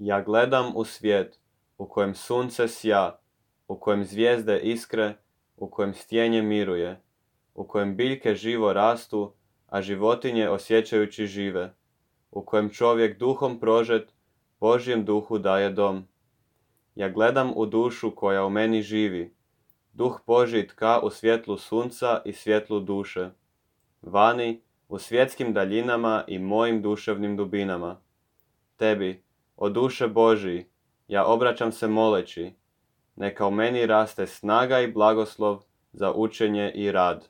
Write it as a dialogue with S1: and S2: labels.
S1: Ja gledam u svijet u kojem sunce sja, u kojem zvijezde iskre, u kojem stjenje miruje, u kojem biljke živo rastu, a životinje osjećajući žive, u kojem čovjek duhom prožet Božjem duhu daje dom. Ja gledam u dušu koja u meni živi, duh Božji tka u svjetlu sunca i svjetlu duše, vani u svjetskim daljinama i mojim duševnim dubinama. Tebi, o duše Božji, ja obraćam se moleći, neka u meni raste snaga i blagoslov za učenje i rad.